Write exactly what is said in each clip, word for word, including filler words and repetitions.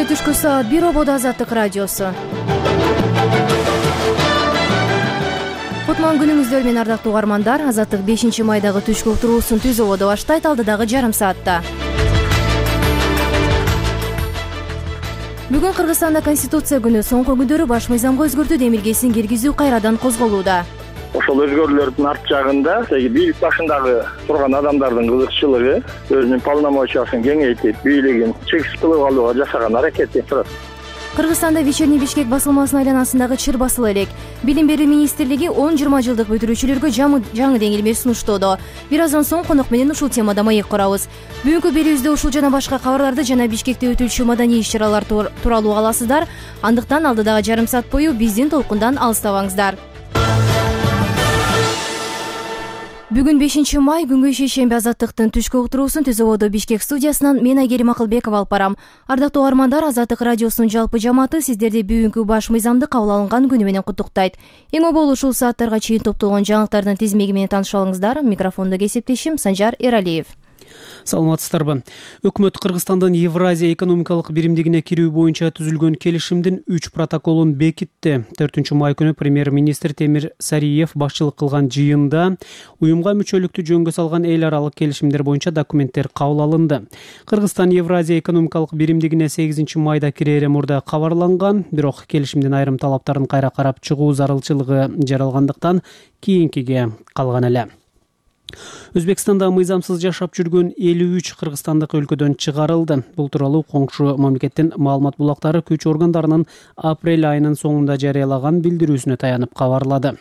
Кечке түшкү саат бир ободо Азаттык радиосу. Кутман күнүңүздөр менен ардактуу угармандар. Азаттык бешинчи майдагы түшкү уктуруусун түз ободо баштайт алдыдагы жарым саатта. Бүгүн Кыргызстанда Конституция күнү. Соңку күндөрү баш мыйзамга өзгөртүү демилгесин киргизүү кайрадан козголууда. Ошол өзгөрүүлөрдүн арт жагында бийлик башындагы турган адамдардын кызыкчылыгы, өзүнүн полномочиясын кеңейтип, бийлигин чексиз кылып алууга жасаган аракети турат. Кыргызстанда Вечерний Бишкек басылмасынын айланасындагы чыр басыла элек. Билим берүү министрлиги он жыйырма жылдык бүтүрүүчүлөргө жаңы деңилме сунуштоодо. Бир аздан соң конок менен ушул темада маек курабыз. Бүгүнкү берүүбүздө ушул жана башка кабарларды жана Бишкекте өтүүчү маданий иш-чаралар тууралуу аласыздар. Андыктан алдыдагы жарым саат бою биздин толкундан алыстабаңыздар. Бүгүн бешинчи май күнгү шейшемби Азаттыктын түшкү уктуруусун түз ободо Бишкек студиясынан мен Айгерим Акылбекова алып барам. Ардактуу угармандар, Азаттык радиосунун жалпы жамааты сиздерди бүгүнкү баш мыйзамды кабыл алынган күнү менен куттуктайт. Эң обол ушул сааттарга чейин топтолгон жаңылыктардын тизмеги менен таанышып алыңыздар. Микрофондо кесиптешим Санжар Эралиев. Саламатсыздарбы. Өкмөт Кыргызстандын Евразия экономикалык биримдигине кирүү боюнча түзүлгөн келишимдин үч протоколун бекитти. төртүнчү май күнү премьер-министр Темир Сариев башчылык кылган жыйында уюмга мүчөлүктү жөнгө салган эл аралык келишимдер боюнча документтер кабыл алынды. Кыргызстан Евразия экономикалык биримдигине сегизинчи майда кирери мурда кабарланган, бирок келишимдин айрым талаптарын кайра карап чыгуу зарылчылыгы жаралгандыктан кийинкиге калган эле. Өзбекстанда мыйзамсыз жашап жүргөн элүү үч кыргызстандык өлкөдөн чыгарылды. Бул тууралуу коңшу мамлекеттин маалымат булактары күч органдарынын апрель айынын соңунда жарыялаган билдирүүсүнө таянып кабарлады.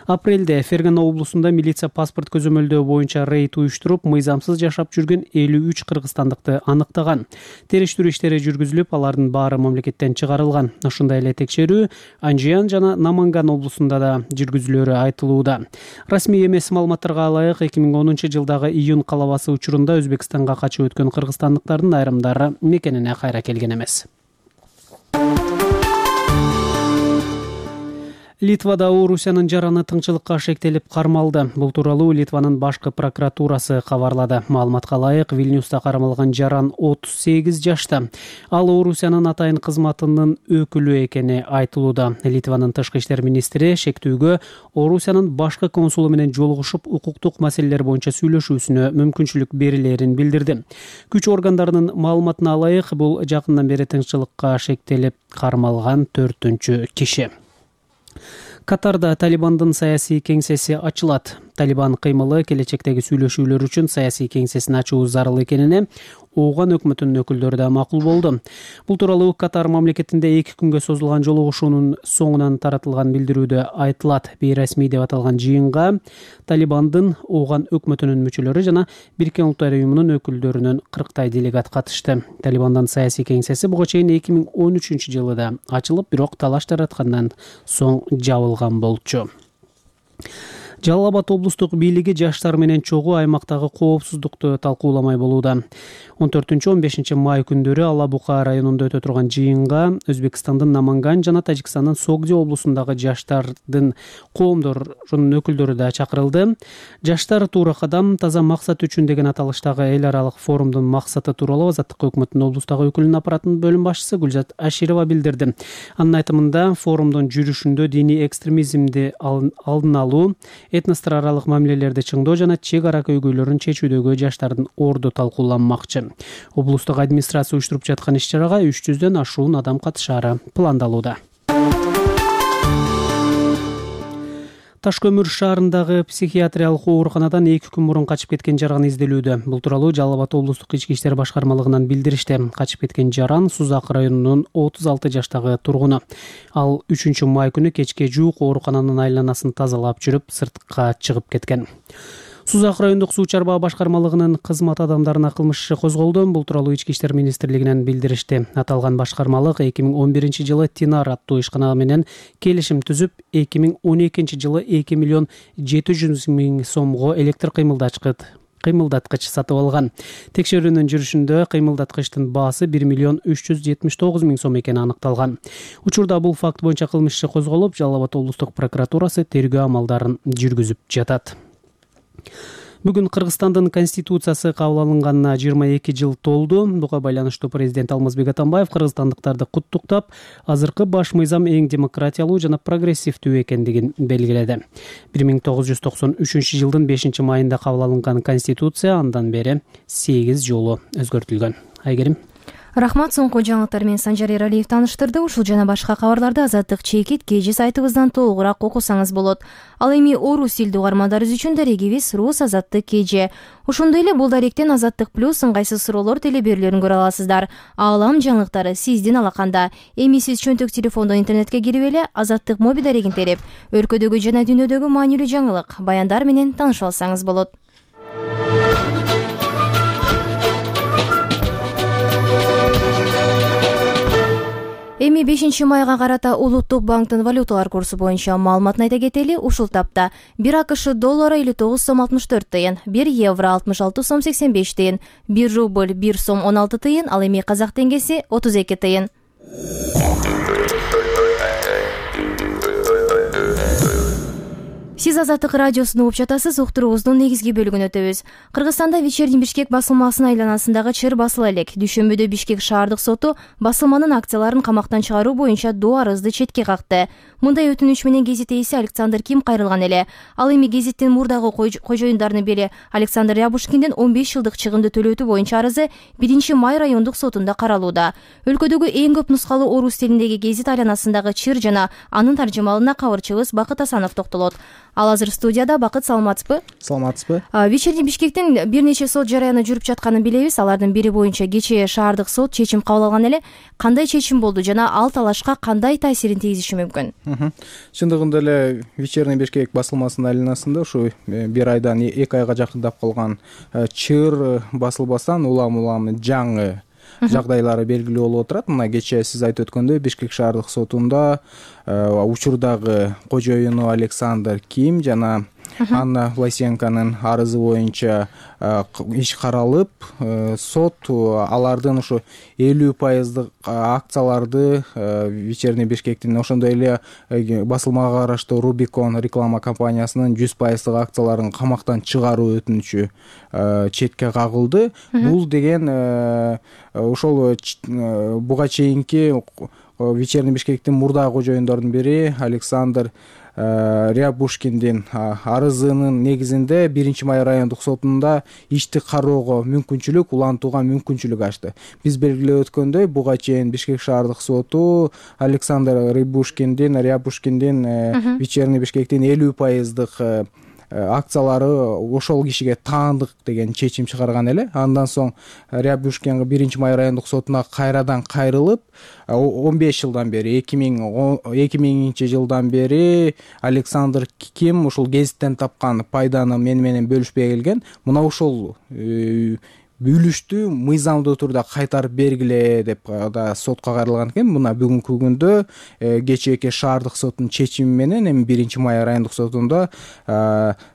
Апрелде Фергана облусунда милиция паспорт көзөмөлдөө боюнча рейд уюштуруп, мыйзамсыз жашап жүргөн элүү үч кыргызстандыкты аныктаган. Териштирүү иштери жүргүзүлүп, алардын баары мамлекеттен чыгарылган. Ошондой эле текшерүү Анжиян жана Наманган облусунда да жүргүзүлөрү айтылууда. Расмий эмес маалыматтарга ылайык эки миң онунчу жылдагы июнь калабасы учурунда Өзбекстанга качып өткөн кыргызстандыктардын айрымдары мекенине кайра келген эмес. Литвада Орусиянын жараны тыңчылыкка шектелип кармалды. Бул тууралуу Литванын башкы прокуратурасы кабарлады. Маалыматка ылайык, Вильнюста кармалган жаран отуз сегиз жашта. Ал Орусиянын атайын кызматынын өкүлү экени айтылууда. Литванын тышкы иштер министри шектүүгө Орусиянын башкы консулу менен жолугушуп, укуктук маселелер боюнча сүйлөшүүсүнө мүмкүнчүлүк берилерин билдирди. Күч органдарынын маалыматына ылайык, бул жакындан бери тыңчылыкка шектелип кармалган төртүнчү киши. Катарда Талибандын саясий кеңсеси ачылат. Талибан кыймылы келечектеги сүйлөшүүлөр үчүн саясий кеңсесин ачуу зарыл экенине Ооган өкмөтүнүн өкүлдөрү да макул болду. Бул тууралуу Катар мамлекетинде эки күнгө созулган жолугушуунун соңунан таратылган билдирүүдө айтылат. Бейресмий деп аталган жыйынга Талибандын, Ооган өкмөтүнүн мүчөлөрү жана Бириккен Улуттар уюмунун өкүлдөрүнүн кырктай делегат катышты. Талибандын саясий кеңсеси буга чейин эки миң он үчүнчү жылы да ачылып, бирок талаш тараткандан соң жабылган болчу. Жалал Абад облустук бийлиги жаштар менен чогуу аймактагы коопсуздукту талкууламай болууда. он төртүнчү он бешинчи май күндөрү Ала Бука районунда өтө турган жыйынга Өзбекстандын Наманган жана Тажикстандын Согди облусундагы жаштардын коомдорунун өкүлдөрү да чакырылды. Жаштар туура кадам, таза максат үчүн деген аталыштагы эл аралык форумдун максаты тууралуу Азаттык өкмөтүнүн облустагы өкүлүнүн аппаратынын бөлүм башчысы Гүлзат Аширова билдирди. Анын айтымында, форумдун жүрүшүндө диний экстремизмди алдын алуу, этностор аралык мамилелерди чыңдоо жана чек ара көйгөйлөрүн чечүүдөгү жаштардын орду талкууланмакчы. Облустук администрация уюштуруп жаткан иш-чарага үч жүздөн ашуун адам катышаары пландалууда. Таш көмүр шаарындагы психиатриялык ооруканадан эки күн мурун качып кеткен жаран изделүүдө. Бул тууралуу Жалал Абад облустук ички иштер башкармалыгынан билдиришти. Качып кеткен жаран Сузак районунун отуз алты жаштагы тургуну. Ал үчүнчү май күнү кечке жуук оорукананын айланасын тазалап жүрүп, сыртка чыгып кеткен. Сузак райондук суу чарба башкармалыгынын кызмат адамдарына кылмыш иши козголду. Бул тууралуу ички иштер министрлигинен билдиришти. Аталган башкармалык эки миң он биринчи жылы Тинар аттуу ишкана менен келишим түзүп, эки миң он экинчи жылы эки миллион жети жүз миң сомго электр кыймылдаткыч кыймылдаткыч сатып алган. Текшерүүнүн жүрүшүндө кыймылдаткычтын баасы бир миллион үч жүз жетимиш тогуз миң сом экени аныкталган. Учурда бул факт боюнча кылмыш иши козголуп, Жалал Абад облустук прокуратурасы тергөө амалдарын жүргүзүп жатат. Бүгүн Кыргызстандын конституциясы кабыл алынганына жыйырма эки жыл толду. Буга байланыштуу президент Алмазбек Атамбаев кыргызстандыктарды куттуктап, азыркы баш мыйзам эң демократиялуу жана прогрессивдүү экендигин белгиледи. бир миң тогуз жүз токсон үчүнчү жылдын бешинчи майында кабыл алынган конституция андан бери сегиз жолу өзгөртүлгөн. Айгерим. Рахмат. Соңку жаңылыктар менен Санжар Эралиев тааныштырды. Ушул жана башка кабарларды Азаттык чекит кежи сайтыбыздан толугураак окусаңыз болот. Ал эми орус тилдүү угармандарыбыз үчүн дарегибиз Рус Азаттык кежи. Ошондой эле бул даректен Азаттык плюс ыңгайсыз суроолор телеберүүлөрүн көрө аласыздар. Аалам жаңылыктары сиздин алаканда. Эми сиз чөнтөк телефондон интернетке кирип эле Азаттык моби дарегин терип, өлкөдөгү жана дүйнөдөгү маанилүү жаңылык, баяндар менен тааныша алсаңыз болот. Эми бешинчи майга карата Улуттук банктын валюталар курсу боюнча маалыматын айта кетели. Ушул тапта бир АКШ доллары элүү тогуз сом алтымыш төрт тыйын, бир евро алтымыш алты сом сексен беш тыйын, бир рубль бир сом он алты тыйын, ал эми казак теңгеси отуз эки тыйын. Сиз Азаттык радиосун угуп жатасыз. Уктуруубуздун негизги бөлүгүн өтөбүз. Кыргызстанда вечерний Бишкек басылмасынын айланасындагы чыр басыла элек. Дүйшөмбүдө Бишкек шаардык соту басылманын акцияларын камактан чыгаруу боюнча доо арызды четке какты. Мындай өтүнүч менен гезит ээси Александр Ким кайрылган эле. Ал эми гезиттин мурдагы кожоюндарынын бири Александр Рябушкиндин он беш жылдык чыгымды төлөтүү боюнча арызы биринчи май райондук сотунда каралууда. Өлкөдөгү эң көп нускалуу орус тилиндеги гезит айланасындагы чыр жана анын таржымалына кабырчыбыз Бакыт Асанов токтолот. Ал азыр студияда. Бакыт, саламатсызбы? Саламатсызбы? Вечерний Бишкектин бир нече сот жараяны жүрүп жатканын билебиз. Алардын бири боюнча кечээ шаардык сот чечим кабыл алган эле. Кандай чечим болду жана ал талашка кандай таасирин тийгизиши мүмкүн? Чындыгында эле Вечерний Бишкек басылмасынын айланасында ушу бир айдан эки айга жакындап калган чыр басылбастан улам улам жаңы жагдайлары белгилүү болуп отурат. Мына кечээ сиз айтып өткөндөй Бишкек шаардык сотунда учурдагы кожоюну Александр Ким жана Анна Власенконун арызы боюнча иш каралып, сот алардын ушу элүү пайыздык акцияларды Вечерний Бишкектин, ошондой эле басылмага караштуу Рубикон реклама компаниясынын жүз пайыздык акцияларын камактан чыгаруу өтүнүчү четке кагылды. Бул деген ошол буга чейинки Вечерний Бишкектин мурдагы кожоюндордун бири Александр Рябушкиндин арызынын негизинде биринчи май райондук сотунда ишти кароого мүмкүнчүлүк, улантууга мүмкүнчүлүк ачты. Биз белгилеп өткөндөй, буга чейин Бишкек шаардык соту Александр Рябушкиндин Рябушкиндин Вечерний Бишкектин элүү пайыздык акциялары ошол кишиге таандык деген чечим чыгарган эле. Андан соң Рябушкинге биринчи май райондук сотуна кайрадан кайрылып, он беш жылдан бери эки миңинчи жылдан бери Александр Ким ушул гезиттен тапкан пайданы мени менен бөлүшпөй келген. Мына ушул үлүштү мыйзамдуу турда кайтарып бергиле деп да сотко кайрылган экен. Мына бүгүнкү күндө кечээки шаардык соттун чечими менен эми биринчи май райондук сотунда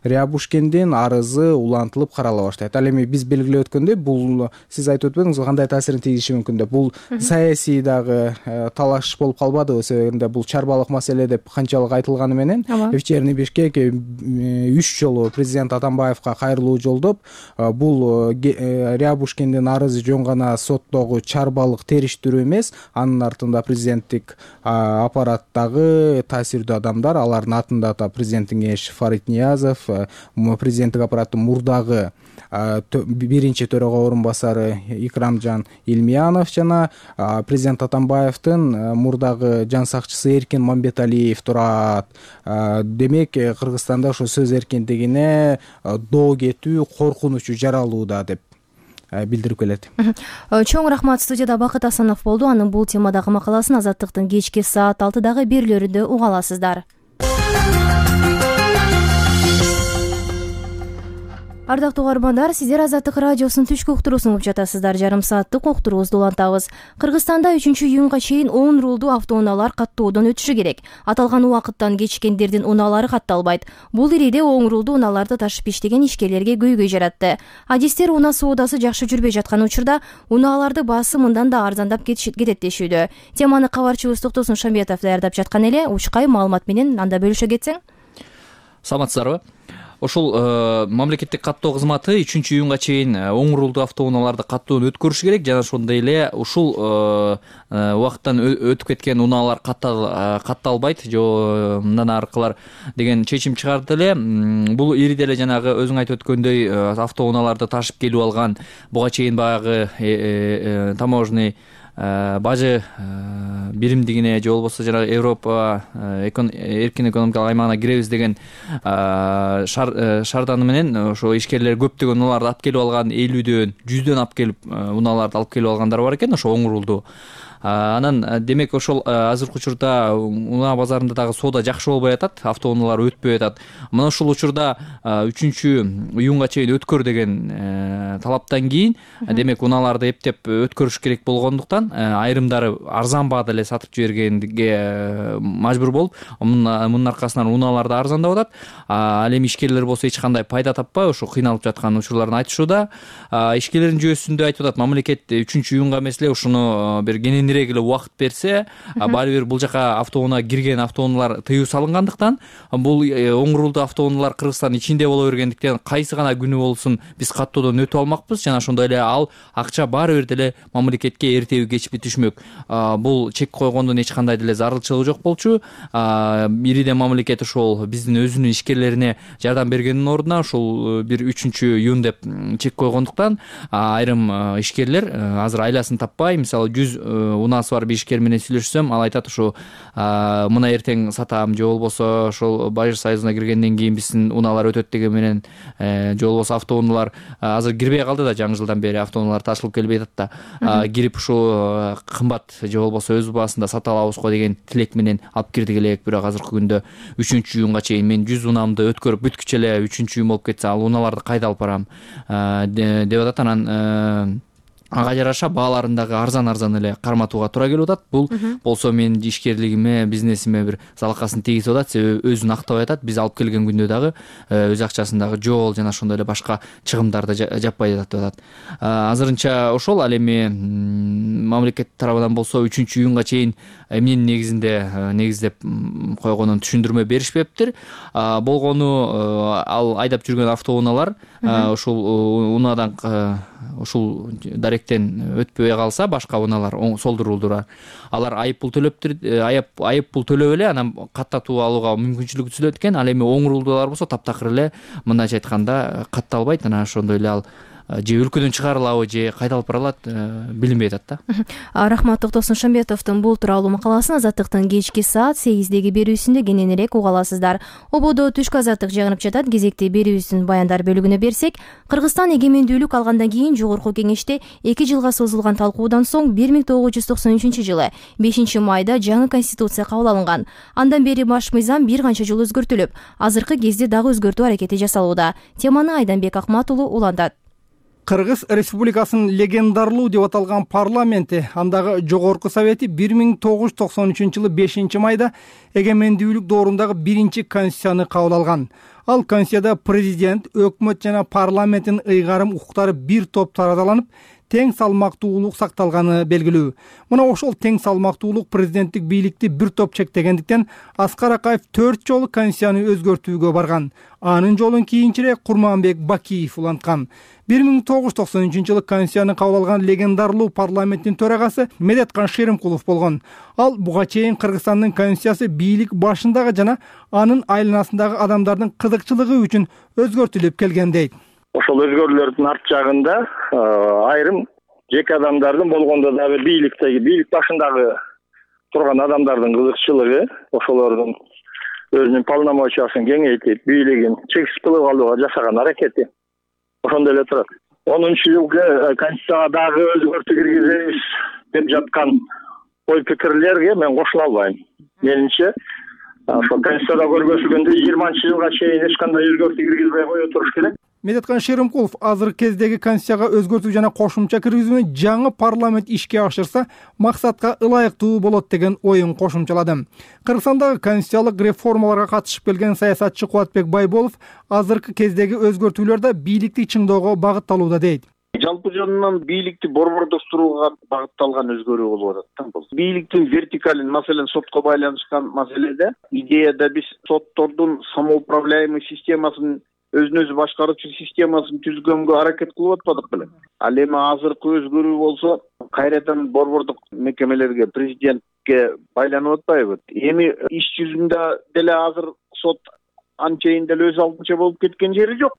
Рябушкиндин арызы улантылып карала баштайт. Ал эми биз белгилеп өткөндөй, бул сиз айтып өтпөдүңүз, кандай таасирин тийгизиши мүмкүн деп. Бул саясий дагы талаш болуп калбадыбы? Себебинде бул чарбалык маселе деп канчалык айтылганы менен Вечерний Бишкек үч жолу президент Атамбаевка кайрылуу жолдоп, бул Рябушкиндин арызы жөн гана соттогу чарбалык териштирүү эмес, анын артында президенттик аппараттагы таасирдүү адамдар, алардын атында да президенттин кеңешчиси Фарид Ниязов, президенттик аппараттын мурдагы биринчи төрага орун басары Икрамжан Илмиянов жана президент Атамбаевдин мурдагы жан сакчысы Эркин Мамбеталиев турат. Демек, Кыргызстанда ошо сөз эркиндигине доо кетүү коркунучу жаралууда деп билдирип келет. Чоң рахмат. Студияда Бакыт Асанов болду. Анын бул темадагы макаласын Азаттыктын кечки саат алтыдагы берүүлөрүндө уга аласыздар. Ардактуу угармандар, сиздер Азаттык радиосунун түшкү уктуруусун угуп жатасыздар. Жарым сааттык уктуруубузду улантабыз. Кыргызстанда үчүнчү июнга чейин он рулдуу автоунаалар каттоодон өтүшү керек. Аталган убакыттан кечиккендердин унаалары катталбайт. Бул ириде оң рулдуу унааларды ташып иштеген ишкерлерге көйгөй жаратты. Адистер унаа соодасы жакшы жүрбөй жаткан учурда унааларды баасы мындан да арзандап кетет дешүүдө. Теманы кабарчыбыз Токтосун Шамбетов даярдап жаткан эле. Учкай маалымат менен анда бөлүшө кетсең. Саламатсыздарбы? Ошол мамлекеттик каттоо кызматы үчүнчү июнга чейин оң рулдуу автоунааларды каттоодон өткөрүш керек жана ошондой эле ушул убакыттан өтүп кеткен унаалар катталбайт же мындан аркылар деген чечим чыгарды эле. Бул ири деле жанагы өзүң айтып өткөндөй автоунааларды ташып келип алган буга чейин баягы таможенный бажы биримдигине же болбосо жанагы Европа эркин экономикалык аймагына киребиз деген шаарданы менен ошо ишкерлер көптөгөн унааларды алып келип алган, элүүдөн жүздөн алып келип унааларды алып келип алгандар бар экен ошо оң рулдуу. Анан демек ошол азыркы учурда унаа базарында дагы соода жакшы болбой атат, автоунаалар өтпөй атат. Мына ушул учурда үчүнчү июнга чейин өткөр деген талаптан кийин демек унааларды эптеп өткөрүш керек болгондуктан айрымдары арзан баада эле сатып жибергенге мажбур болуп, мунун аркасынан унаалар да арзандап атат. Ал эми ишкерлер болсо эч кандай пайда таппай ошо кыйналып жаткан учурларын айтышууда. Ишкерлердин жүйөсүндө айтып атат, мамлекет үчүнчү июнга эмес эле ушуну бир кененирээк эле убакыт берсе, баары бир бул жака автоунаа кирген автоунаалар тыюу салынгандыктан, бул оң рулдуу автоунаалар Кыргызстандын ичинде боло бергендиктен кайсы гана күнү болсун биз каттоодон өтүп алмакпыз жана ошондой эле ал акча баары бир деле мамлекетке эртеби кечпи түшмөк. Бул чек койгондон эч кандай деле зарылчылыгы жок болчу. Бириден мамлекет ошол биздин өзүнүн ишкерлерине жардам бергендин ордуна ошол бир үчүнчү июнь деп чек койгондуктан айрым ишкерлер азыр айласын таппай, мисалы жүз унаасы бар бир ишкер менен сүйлөшсөм, ал айтат ушу мына эртең сатам же болбосо ошол Бажы союзуна киргенден кийин биздин унаалар өтөт деген менен же болбосо автоунаалар азыр кирбей калды да, жаңы жылдан бери автоунаалар ташылып келбей атат да. Кирип ушу кымбат же болбосо өз баасында сата алабыз го деген тилек менен алып кирдик элек. Бирок азыркы күндө үчүнчү июнга чейин мен жүз унаамды өткөрүп бүткүчө эле үчүнчү июнь болуп кетсе, ал унааларды кайда алып барам деп атат. Анан ага жараша бааларын дагы арзан-арзан эле карматууга туура келип атат. Бул болсо менин ишкерлигиме, бизнесиме бир залакасын тийгизип атат, себеби өзүн актабай атат. Биз алып келген күндө дагы өз акчасын дагы жол жана ошондой эле башка чыгымдарды жаппай атат деп атат. Азырынча ошол. Ал эми мамлекет тарабынан болсо үчүнчү июнга чейин эмнени негизинде негиздеп койгонун түшүндүрмө беришпептир. Болгону ал айдап жүргөн автоунаалар ушул унаадан ушул даректен өтпөй калса, башка унаалар солду рулдуура алар айып пул төлөптүр, айып пул төлөп эле анан каттатуу алууга мүмкүнчүлүк түзүлөт экен. Ал эми оң рулдуулар болсо таптакыр эле мындайча айтканда катталбайт. Анан ошондой эле ал же өлкөдөн чыгарылабы же кайда алып барылат билинбей атат да. Рахмат Токтосун Шамбетовдун бул тууралуу макаласын Азаттыктын кечки саат сегиздеги берүүсүндө кененирээк уга аласыздар. Ободо түшкү азаттык жагынып жатат. Кезекти берүүбүздүн баяндар бөлүгүнө берсек, Кыргызстан эгемендүүлүк алгандан кийин жогорку кеңеште эки жылга созулган талкуудан соң бир миң тогуз жүз токсон үчүнчү жылы бешинчи майда жаңы конституция кабыл алынган. Андан бери баш мыйзам бир канча жолу өзгөртүлүп, азыркы кезде дагы өзгөртүү аракети жасалууда. Теманы Айданбек Акматулу улантат. Кыргыз Республикасынын легендарлуу деп аталган парламенти, андагы жогорку совети бир миң тогуз жүз токсон үчүнчү жылы бешинчи майда эгемендүүлүк доорундагы биринчи конституцияны кабыл алган. Ал конституцияда президент, өкмөт жана парламенттин ыйгарым укуктары бир топ тараталанып, тең салмактуулук сакталганы белгилүү. Мына ошол тең салмактуулук президенттик бийликти бир топ чектегендиктен Аскар Акаев төрт жолу конституцияны өзгөртүүгө барган. Анын жолун кийинчерээк Курманбек Бакиев уланткан. бир миң тогуз жүз токсон үчүнчү жылы конституцияны кабыл алган легендарлуу парламенттин төрагасы Медеткан Шеримкулов болгон. Ал буга чейин Кыргызстандын конституциясы бийлик башындагы жана анын айланасындагы адамдардын кызыкчылыгы үчүн өзгөртүлүп келген дейт. Ошол өзгөрүүлөрдүн арт жагында айрым жеке адамдардын, болгондо дагы бийликтеги, бийлик башындагы турган адамдардын кызыкчылыгы, ошолордун өзүнүн полномочиясын кеңейтип, бийлигин чексиз кылып алууга жасаган аракети ошондой эле турат. онунчу жылкы конституцияга дагы өзгөртүү киргизебиз деп жаткан ой пикирлерге мен кошула албайм. Менимче, ошо конституцияда көргөзүлгөндөй жыйырманчы жылга чейин эч кандай өзгөртүү киргизбей кое туруш керек. Медеткан Шеримкулов азыркы кездеги конституцияга өзгөртүү жана кошумча киргизүүнү жаңы парламент ишке ашырса, максатка ылайыктуу болот деген оюн кошумчалады. Кыргызстандагы конституциялык реформаларга катышып келген саясатчы Кубатбек Байболов азыркы кездеги өзгөртүүлөр да бийликти чыңдоого багытталууда дейт. Жалпы жөнүнөн бийликти борбордоштурууга багытталган өзгөрүү болуп атат. Бул бийликтин вертикалин, маселен сотко байланышкан маселеде идеяда биз соттордун самоуправляемый системасын өзүн өзү башкаруучу системасын түзгөнгө аракет кылып атпадык беле. Ал эми азыркы өзгөрүү болсо кайрадан борбордук мекемелерге, президентке байланып атпайбы? Эми иш жүзүндө деле азыр сот анчейин деле өз алдынча болуп кеткен жери жок.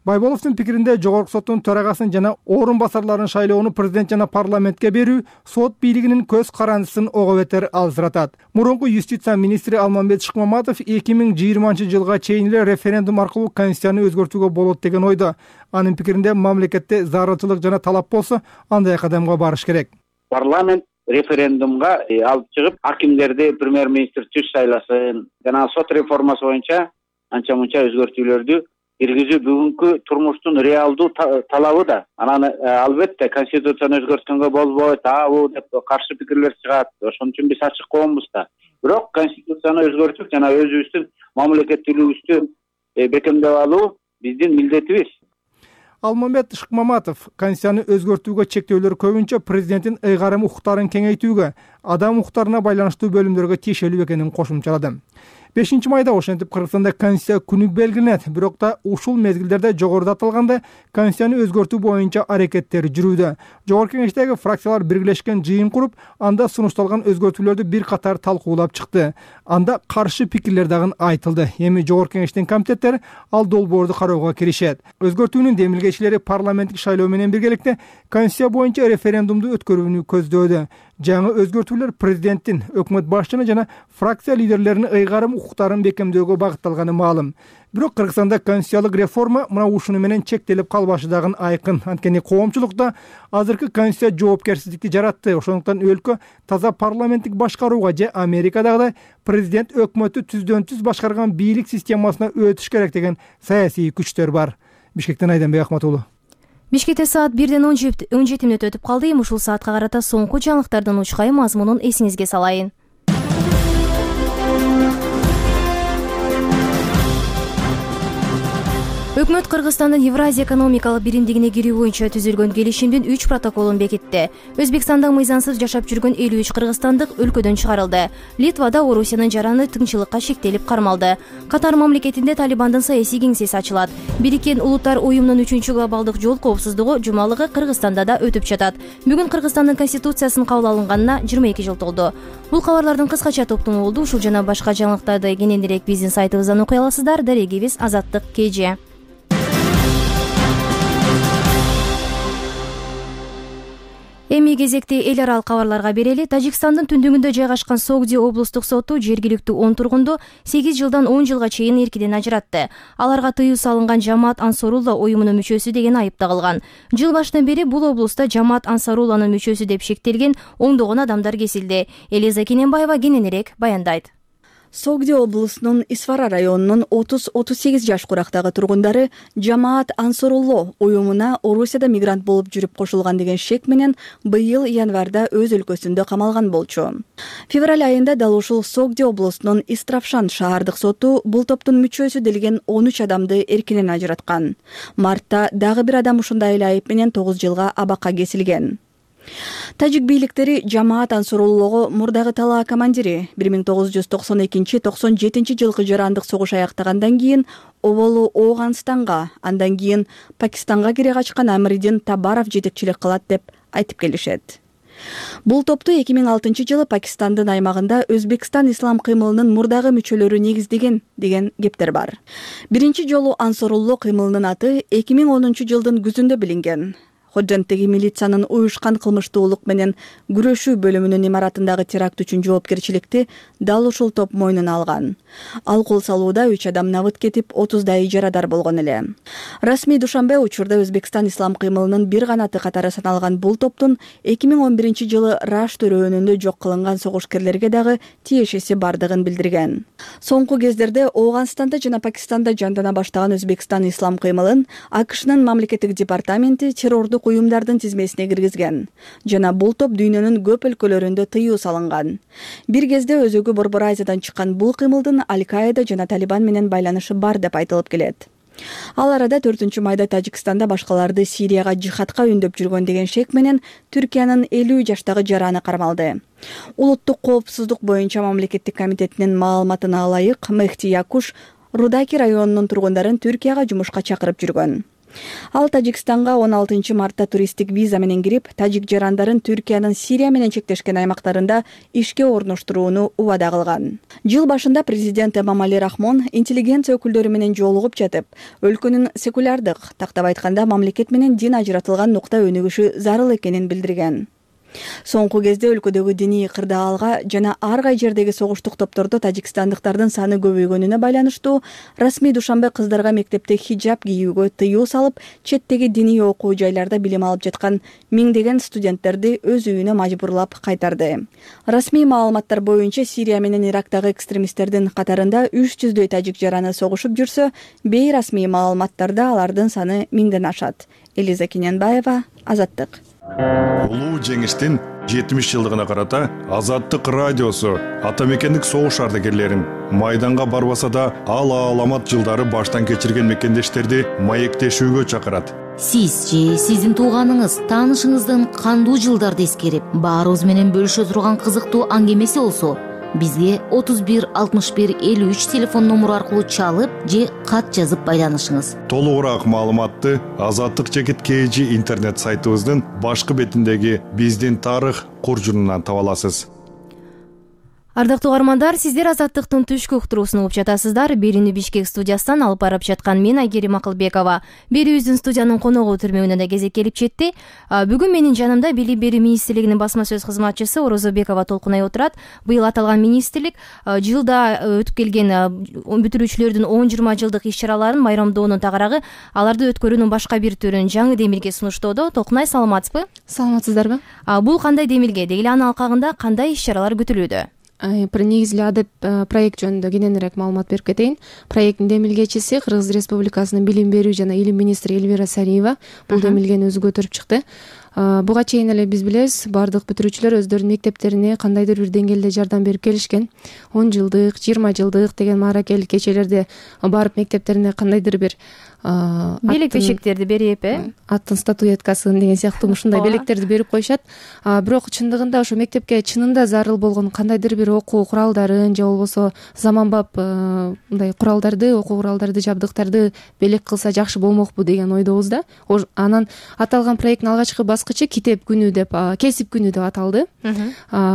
Байболовдун пикиринде жогорку соттун төрагасын жана орун басарларын шайлоону президент жана парламентке берүү сот бийлигинин көз карандысын ого бетер алжыратат. Мурунку юстиция министри Алмамбет Шыкмаматов эки миң жыйырманчы жылга чейин эле референдум аркылуу конституцияны өзгөртүүгө болот деген ойдо. Анын пикиринде мамлекетте зарылчылык жана талап болсо, андай кадамга барыш керек. Парламент референдумга алып чыгып, акимдерди премьер-министр түз шайласын, жана сот реформасы боюнча анча-мунча өзгөртүүлөрдү киргизүү бүгүнкү турмуштун реалдуу талабы да. Анан албетте конституцияны өзгөрткөнгө болбойт, абу деп каршы пикирлер чыгат. Ошон үчүн биз ачык коомбуз да. Бирок конституцияны өзгөртүп жана өзүбүздүн мамлекеттүүлүгүбүздү бекемдеп алуу биздин милдетибиз. Алмамбет Шыкмаматов конституцияны өзгөртүүгө чектөөлөр көбүнчө президенттин ыйгарым укуктарын кеңейтүүгө, адам укуктарына байланыштуу бөлүмдөргө тиешелүү экенин кошумчалады. бешинчи майда ошентип Кыргызстанда конституция күнү белгиленет, бирок да ушул мезгилдерде жогоруда аталгандай конституцияны өзгөртүү боюнча аракеттер жүрүүдө. Жогорку кеңештеги фракциялар биргелешкен жыйын куруп, анда сунушталган өзгөртүүлөрдү бир катар талкуулап чыкты. Анда каршы пикирлер дагы айтылды. Эми жогорку кеңештин комитеттери ал долбоорду кароого киришет. Өзгөртүүнүн демилгечилери парламенттик шайлоо менен биргеликте конституция боюнча референдумду өткөрүүнү көздөөдө. Жаңы өзгөртүүлөр президенттин, өкмөт башчыны жана фракция лидерлеринин ыйгарым укуктарын бекемдөөгө багытталганы маалым. Бирок Кыргызстанда конституциялык реформа мына ушуну менен чектелип калбашы дагы айкын. Анткени коомчулукта азыркы конституция жоопкерсиздикти жаратты. Ошондуктан өлкө таза парламенттик башкарууга же Америкадагыдай президент өкмөттү түздөн түз башкарган бийлик системасына өтүш керек деген саясий күчтөр бар. Бишкектен Айданбек Ахматулу. Бишкекте саат бирден он жети мүнөт өтүп калды. Эми ушул саатка карата соңку жаңылыктардын учкай мазмунун эсиңизге салайын. Өкмөт Кыргызстандын Евразия экономикалык биримдигине кирүү боюнча түзүлгөн келишимдин үч протоколун бекитти. Өзбекстанда мыйзамсыз жашап жүргөн элүү үч кыргызстандык өлкөдөн чыгарылды. Литвада Орусиянын жараны тынччылыкка шектелип кармалды. Катар мамлекетинде Талибандын саясий кеңсеси ачылат. Бириккен Улуттар уюмунун үчүнчү глобалдык жол коопсуздугу жумалыгы Кыргызстанда да өтүп жатат. Бүгүн Кыргызстандын конституциясынын кабыл алынганына жыйырма эки жыл толду. Бул кабарлардын кыскача топтому болду. Ушул жана башка жаңылыктарды кененирээк биздин сайтыбыздан окуй аласыздар. Дарегибиз Азаттык КЖ. Эми кезекти эл аралык кабарларга берели. Тажикстандын түндүгүндө жайгашкан Согди облустук соту жергиликтүү он тургунду сегиз жылдан он жылга чейин эркинен ажыратты. Аларга тыюу салынган Жамаат Ансарулла уюмунун мүчөсү деген айып тагылган. Жыл башынан бери бул облустта Жамаат Ансарулланын мүчөсү деп шектелген ондогон адамдар кесилди. Элиза Кененбаева кененирээк баяндайт. Согди облусунун Исфара районунун отуз отуз сегиз жаш курактагы тургундары Жамаат Ансарулла уюмуна Орусияда мигрант болуп жүрүп кошулган деген шек менен быйыл январда өз өлкөсүндө камалган болчу. Февраль айында дал ушул Согди облусунун Истравшан шаардык соту бул топтун мүчөсү делген он үч адамды эркинен ажыраткан. Мартта дагы бир адам ушундай эле айып менен тогуз жылга абакка кесилген. Тажик бийликтери Жамаат Ансаруллого мурдагы талаа командири бир миң тогуз жүз токсон экинчи токсон жетинчи жылкы жарандык согуш аяктагандан кийин оболу Ооганстанга, андан кийин Пакистанга кире качкан Амридин Табаров жетекчилик кылат деп айтып келишет. Бул топту эки миң алтынчы жылы Пакистандын аймагында Өзбекстан ислам кыймылынын мурдагы мүчөлөрү негиздеген деген кептер бар. Биринчи жолу Ансарулла кыймылынын аты эки миң онунчу жылдын күзүндө билинген. Ходженттеги милициянын уюшкан кылмыштуулук менен күрөшүү бөлүмүнүн имаратындагы теракт үчүн жоопкерчиликти дал ушул топ мойнуна алган. Ал кол салууда үч адам набыт кетип, отуздай жарадар болгон эле. Расмий Душанбе учурда Өзбекстан ислам кыймылынын бир канаты катары саналган бул топтун эки миң он биринчи жылы Раш төрөөнүндө жок кылынган согушкерлерге дагы тиешеси бардыгын билдирген. Соңку кездерде Ооганстанда жана Пакистанда жандана баштаган Өзбекстан ислам кыймылын АКШнын мамлекеттик департаменти террордук уюмдардын тизмесине киргизген жана бул топ дүйнөнүн көп өлкөлөрүндө тыюу салынган. Бир кезде өзөгү Борбор Азиядан чыккан бул кыймылдын Аль-Каида жана Талибан менен байланышы бар деп айтылып келет. Ал арада төртүнчү майда Тажикстанда башкаларды Сирияга жихадка үндөп жүргөн деген шек менен Түркиянын элүү жаштагы жараны кармалды. Улуттук коопсуздук боюнча мамлекеттик комитетинин маалыматына ылайык, Мехти Якуш Рудаки районунун тургундарын Түркияга жумушка чакырып жүргөн. Ал Тажикстанга он алтынчы мартта туристтик виза менен кирип, тажик жарандарын Түркиянын Сирия менен чектешкен аймактарында ишке орноштурууну убада кылган. Жыл башында президент Эмомали Рахмон интеллигенция өкүлдөрү менен жолугуп жатып, өлкөнүн секулярдык, тактап айтканда мамлекет менен дин ажыратылган нукта өнүгүшү зарыл экенин билдирген. Соңку кезде өлкөдөгү диний кырдаалга жана ар кай жердеги согуштук топтордо тажикстандыктардын саны көбөйгөнүнө байланыштуу расмий душанбе кыздарга мектепте хиджаб кийүүгө тыюу салып, четтеги диний окуу жайларда билим алып жаткан миңдеген студенттерди өз үйүнө мажбурлап кайтарды. Расмий маалыматтар боюнча Сирия менен Ирактагы экстремисттердин катарында үч жүздөй тажик жараны согушуп жүрсө, бейрасмий маалыматтарда алардын саны миңден ашат. Элиза Кененбаева, Азаттык. Улуу жеңиштин жетимиш жылдыгына карата Азаттык радиосу ата мекендик согуш ардагерлерин майданга барбаса да ал ааламат жылдары баштан кечирген мекендештерди маектешүүгө чакырат. Сиз же сиздин тууганыңыз, таанышыңыздын кандуу жылдарды эскерип, баарыбыз менен бөлүшө турган кызыктуу аңгемеси болсо, бизге отуз бир алтымыш бир элүү үч телефон номуру аркылуу чалып же кат жазып байланышыңыз. Толугураак маалыматты Азаттык жекит kg интернет сайтыбыздын башкы бетиндеги биздин тарых куржунунан таба аласыз. Ардактуу угармандар, сиздер Азаттыктын түшкү уктуруусун угуп жатасыздар. Берүүнү Бишкек студиясынан алып барып жаткан мен Айгерим Акылбекова. Берүүбүздүн студиянын коногу түрмөгүнөн да кезек келип жетти. Бүгүн менин жанымда Билим берүү министрлигинин басма сөз кызматчысы Орозобекова Толкунай отурат. Быйыл аталган министрлик жылда өтүп келген бүтүрүүчүлөрдүн он жыйырма жылдык иш-чараларын майрамдоонун тагарагы аларды өткөрүүнүн башка бир түрүн жаңы демилге сунуштоодо. Толкунай, саламатсызбы? Саламатсыздарбы? Бул кандай демилге? Деги эле анын алкагында кандай иш-чаралар күтүлүүдө? Негизи эле адеп проект жөнүндө кененирээк маалымат берип кетейин. Проекттин демилгечиси Кыргыз Республикасынын билим берүү жана илим министри Эльвира Сариева бул демилгени өзү көтөрүп чыкты. Буга чейин эле биз билебиз, бардык бүтүрүүчүлөр өздөрүнүн мектептерине кандайдыр бир деңгээлде жардам берип келишкен. он жылдык, жыйырма жылдык деген мааракелик кечелерде барып мектептерине кандайдыр бир белек бешектерди берип, э аттын статуэткасын деген сыяктуу ушундай белектерди берип коюшат. Бирок чындыгында ошо мектепке чынында зарыл болгон кандайдыр бир окуу куралдарын же болбосо заманбап мындай куралдарды, окуу куралдарды, жабдыктарды белек кылса жакшы болмокпу деген ойдобуз да. Анан аталган проекттин алгачкы баскычы китеп күнү деп, кесип күнү деп аталды.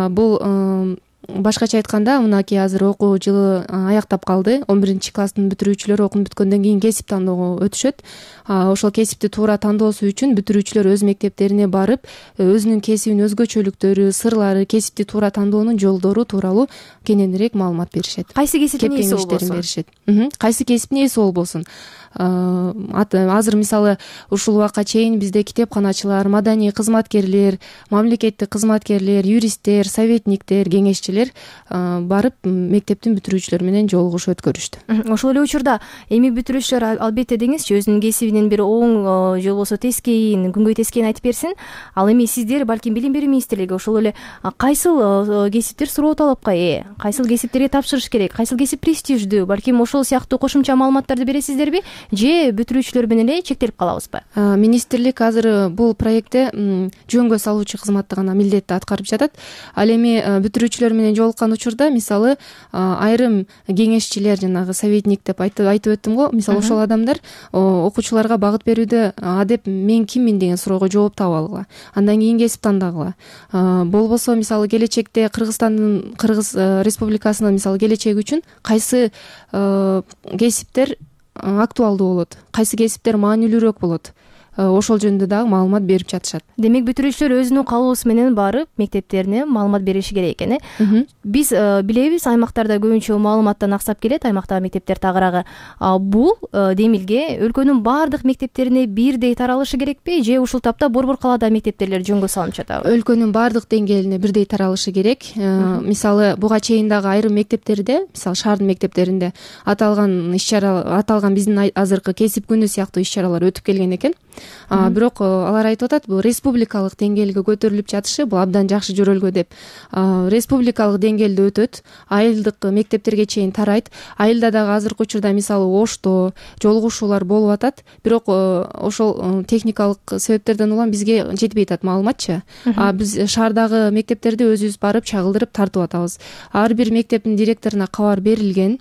Бул башкача айтканда, мынакей азыр окуу жылы аяктап калды. он биринчи класстын бүтүрүүчүлөрү окуп бүткөндөн кийин кесип тандоого өтүшөт. Ошол кесипти туура тандоосу үчүн бүтүрүүчүлөр өз мектептерине барып, өзүнүн кесибинин өзгөчөлүктөрү, сырлары, кесипти туура тандоонун жолдору тууралуу кененирээк маалымат беришет. Кайсы кесиптин ээси болбосун? Кайсы кесиптин ээси болбосун. Азыр мисалы ушул убакка чейин бизде китепканачылар, маданий кызматкерлер, мамлекеттик кызматкерлер, юристтер, советниктер, кеңешчилер барып мектептин бүтүрүүчүлөрү менен жолугуш өткөрүштү. Ошол эле учурда эми бүтүрүүчүлөр албетте деңизчи өзүнүн кесибинин бир оң же болбосо тескейин, күнгөй тескейин айтып берсин. Ал эми сиздер балким Билим берүү министрлиги ошол эле кайсыл кесиптер суроо талапка ээ, кайсыл кесиптерге тапшырыш керек, кайсыл кесип престиждүү, балким ошол сыяктуу кошумча маалыматтарды бересиздерби же бүтүрүүчүлөр менен эле чектелип калабызбы? Министрлик азыр бул проектте жөнгө салуучу кызматты гана милдетти аткарып жатат. Ал эми бүтүрүүчүлөр менен жолуккан учурда мисалы айрым кеңешчилер, жанагы советник деп айтып өттүм го, мисалы ошол адамдар окуучуларга багыт берүүдө адеп мен киммин деген суроого жооп таба алгыла. Андан кийин кесип тандагыла. Болбосо мисалы келечекте Кыргызстандын, Кыргыз Республикасынын мисалы келечеги үчүн кайсы кесиптер актуалдуу болот, кайсы кесиптер маанилүүрөөк болот, ошол жөнүндө дагы маалымат берип жатышат. Демек бүтүрүүчүлөр өзүнүн каалоосу менен барып мектептерине маалымат бериши керек экен, э? Биз билебиз, аймактарда көбүнчө маалыматтан аксап келет, аймактагы мектептер тагыраагы. Бул демилге өлкөнүн баардык мектептерине бирдей таралышы керекпи, же ушул тапта борбор калаада мектептерлер жөнгө салынып жатабы? Өлкөнүн баардык деңгээлине бирдей таралышы керек. Мисалы буга чейин дагы айрым мектептерде, мисалы шаардын мектептеринде аталган иш-чара, аталган биздин азыркы кесип күнү сыяктуу иш-чаралар өтүп келген экен. Бирок алар айтып атат, бул республикалык деңгээлге көтөрүлүп жатышы бул абдан жакшы жөрөлгө деп. Республикалык деңгээлде өтөт, айылдык мектептерге чейин тарайт. Айылда дагы азыркы учурда мисалы оштоо, жолугушуулар болуп атат, бирок ошол техникалык себептерден улам бизге жетпей атат маалыматчы. Биз шаардагы мектептерди өзүбүз барып чагылдырып тартып атабыз. Ар бир мектептин директоруна кабар берилген.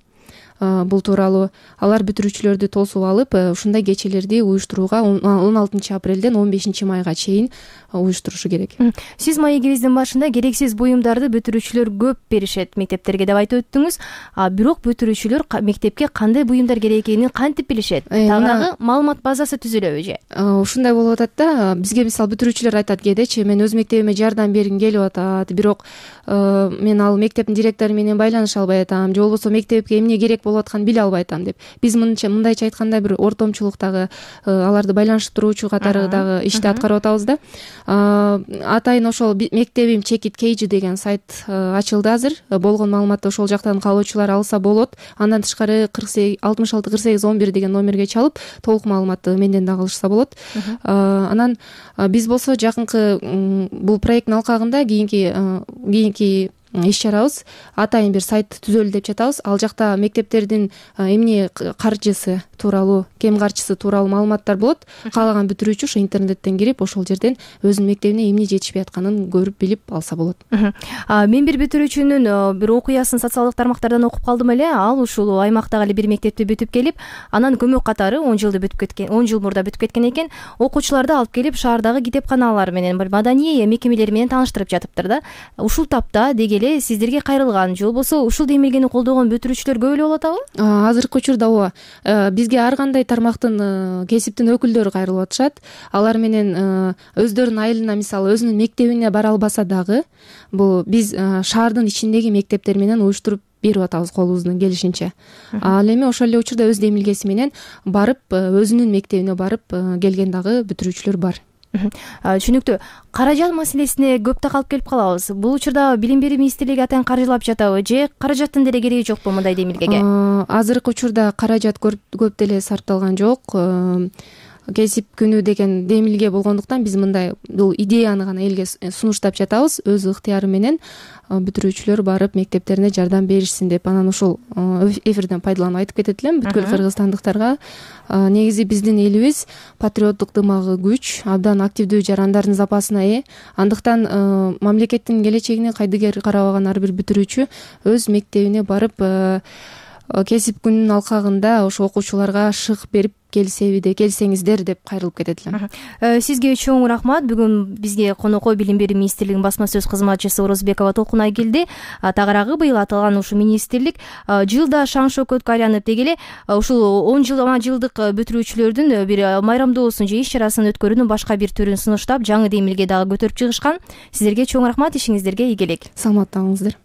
бул тууралуу алар бүтүрүүчүлөрдү тосуп алып ушундай кечелерди уюштурууга он алтынчы апрелден он бешинчи майга чейин уюштурушу керек. Сиз маегибиздин башында керексиз буюмдарды бүтүрүүчүлөр көп беришет мектептерге деп айтып өттүңүз. А бирок бүтүрүүчүлөр мектепке кандай буюмдар керек экенин кантип билишет? Тагыраагы маалымат базасы түзүлөбү же? Ушундай болуп атат да. Бизге мисалы бүтүрүүчүлөр айтат кээдечи, мен өз мектебиме жардам бергим келип атат, бирок мен ал мектептин директору менен байланыша албай атам, же болбосо мектепке эмне керек болуп атканын биле албай атам деп. Биз мындайча айтканда бир ортомчулуктагы аларды байланыштыруучу катары дагы ишти аткарып атабыз да. Атайын ошол мектебим чекит кейжи деген сайт ачылды азыр. Болгон маалыматты ошол жактан каалоочулар алса болот. Андан тышкары кырк сегиз алтымыш алты кырк сегиз он бир деген номерге чалып толук маалыматты менден дагы алышса болот. Анан биз болсо жакынкы бул проекттин алкагында кийинки кийинки иш чарабыз атайын бир сайт түзөлдү деп жатабыз. Ал жакта мектептердин эмне каржысы тууралуу, кем каржысы тууралуу маалыматтар болот. Каалаган бүтүрүүчү ошо интернеттен кирип ошол жерден өзүнүн мектебине эмне жетишпей атканын көрүп билип алса болот. Мен бир бүтүрүүчүнүн бир окуясын социалдык тармактардан окуп калдым эле. Ал ушул аймактагы эле бир мектепти бүтүп келип, анан көмөк катары он жылды бүтүп кеткен, он жыл мурда бүтүп кеткен экен. Окуучуларды алып келип шаардагы китепканалар менен, маданий мекемелер менен тааныштырып жатыптыр да. Ушул тапта деги эле сиздерге кайрылган, же болбосо ушул демилгени колдогон бүтүрүүчүлөр көп эле болуп атабы? Азыркы учурда ооба. Бизге ар кандай тармактын, кесиптин өкүлдөрү кайрылып атышат. Алар менен өздөрүнүн айылына, мисалы өзүнүн мектебине бара албаса дагы, бул биз шаардын ичиндеги мектептер менен уюштуруп берип атабыз колубуздун келишинче. Ал эми ошол эле учурда өз демилгеси менен барып, өзүнүн мектебине барып келген дагы бүтүрүүчүлөр бар. Түшүнүктүү. Каражат маселесине көп такалып келип калабыз. Бул учурда Билим берүү министрлиги атайын каржылап жатабы же каражаттын деле кереги жокпу мындай демилгеге? Азыркы учурда каражат көп деле сарпталган жок. Кесип күнү деген демилге болгондуктан биз мындай бул идеяны гана элге сунуштап жатабыз. Өз ыктыяры менен бүтүрүүчүлөр барып мектептерине жардам беришсин деп. Анан ушул эфирден пайдаланып айтып кетет элем бүткүл кыргызстандыктарга. Негизи биздин элибиз патриоттук дымагы күч, абдан активдүү жарандардын запасына ээ. Андыктан мамлекеттин келечегине кайдыгер карабаган ар бир бүтүрүүчү өз мектебине барып кесип күнүнүн алкагында ошо окуучуларга шык берип келсебиде келсеңиздер деп кайрылып кетет элем. Сизге чоң рахмат. Бүгүн бизге конокко Билим берүү министрлигинин басма сөз кызматчысы Орозбекова Толкунай келди. Тагыраагы быйыл аталган ушул министрлик жылда шаң шөкөткө айланып деги эле ушул он жылдык бүтүрүүчүлөрдүн бир майрамдоосун же иш чарасын өткөрүүнүн башка бир түрүн сунуштап, жаңы демилге дагы көтөрүп чыгышкан. Сиздерге чоң рахмат, ишиңиздерге ийгилик. Саламатта болуңуздар.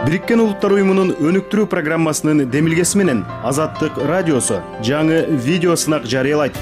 Бириккен Улуттар уюмунун өнүктүрүү программасынын демилгеси менен Азаттык радиосу жаңы видео сынак жарыялайт.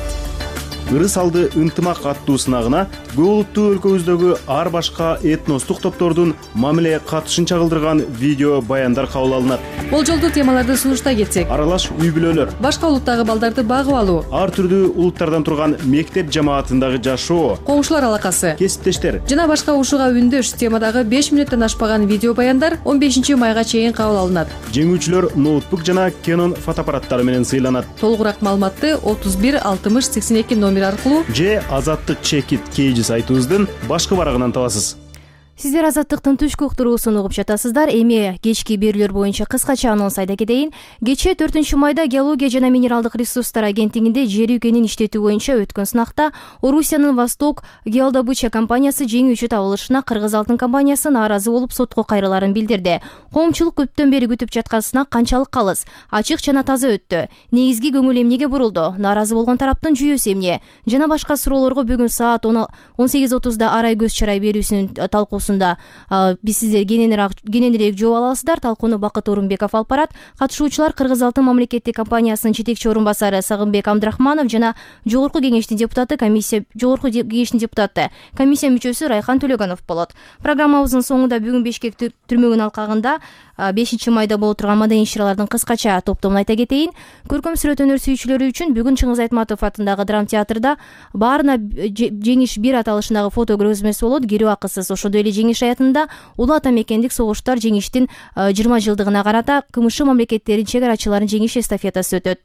Ырыс алды ынтымак аттуу сынагына көп улуттуу өлкөбүздөгү ар башка этностук топтордун мамиле катышын чагылдырган видео баяндар кабыл алынат. Болжолдуу темаларды сунуштай кетсек: аралаш үй бүлөлөр, башка улуттагы балдарды багып алуу, ар түрдүү улуттардан турган мектеп жамаатындагы жашоо, коңшулар алакасы, кесиптештер жана башка ушуга үндөш темадагы беш мүнөттөн ашпаган видео баяндар он бешинчи майга чейин кабыл алынат. Жеңүүчүлөр ноутбук жана Canon фотоаппараттары менен сыйланат. Толугураак маалыматты отуз бир алтымыш сексен эки номер аркылуу же Азаттык чекит кейжи сайтыбыздын башкы барагынан табасыз. Сиздер Азаттыктын түшкү уктуруусун угуп жатасыздар. Эми кечки берүүлөр боюнча кыскача анонс айта кетейин. Кечээ төртүнчү майда Геология жана минералдык ресурстар агенттигинде жер үйкенин иштетүү боюнча өткөн сынакта Орусиянын Восток геодобыча компаниясы жеңүүчү табылышына Кыргыз алтын компаниясы нааразы болуп сотко кайрыларын билдирди. Коомчулук көптөн бери күтүп жаткан сынак канчалык калыс, ачык жана таза өттү? Негизги көңүл эмнеге бурулду? Нааразы болгон тараптын жүйөсү эмне? Жана башка суроолорго бүгүн саат он сегиз отузда арай көз чарай берүүсүнүн талкуусу биз сиздер кененирээк жооп аласыздар. Талкууну Бакыт Орунбеков алып барат. Катышуучулар Кыргыз алтын мамлекеттик компаниясынын жетекчи орун басары Сагынбек Абдрахманов жана жогорку кеңештин депутаты комиссия жогорку кеңештин депутаты комиссия мүчөсү Райхан Төлөгөнов болот. Программабыздын соңунда бүгүн Бишкек түрмөгүнүн алкагында бешинчи майда боло турган маданий иш-чаралардын кыскача топтомун айта кетейин. Көркөм сүрөт өнөр сүйүүчүлөрү үчүн бүгүн Чыңгыз Айтматов атындагы драма театрда баарына жеңиш бир аталышындагы фото көргөзмөсү болот. Кирүү акысыз. Ошондой эле жеңиш аятында улуу ата мекендик согуштар жеңиштин жыйырма жылдыгына карата КМШ мамлекеттеринин чек арачыларынын жеңиш эстафетасы өтөт.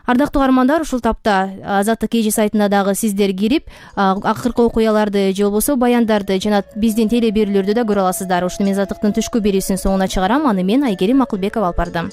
ардактуу каармандар, ушул тапта Азаттык кж сайтына дагы сиздер кирип акыркы окуяларды же болбосо баяндарды жана биздин теле берүүлөрдү да көрө аласыздар. Ушуну мен Азаттыктын түшкү берүүсүнүн соңуна чыгарам. Аны мен Айгерим Акылбекова алып бардым.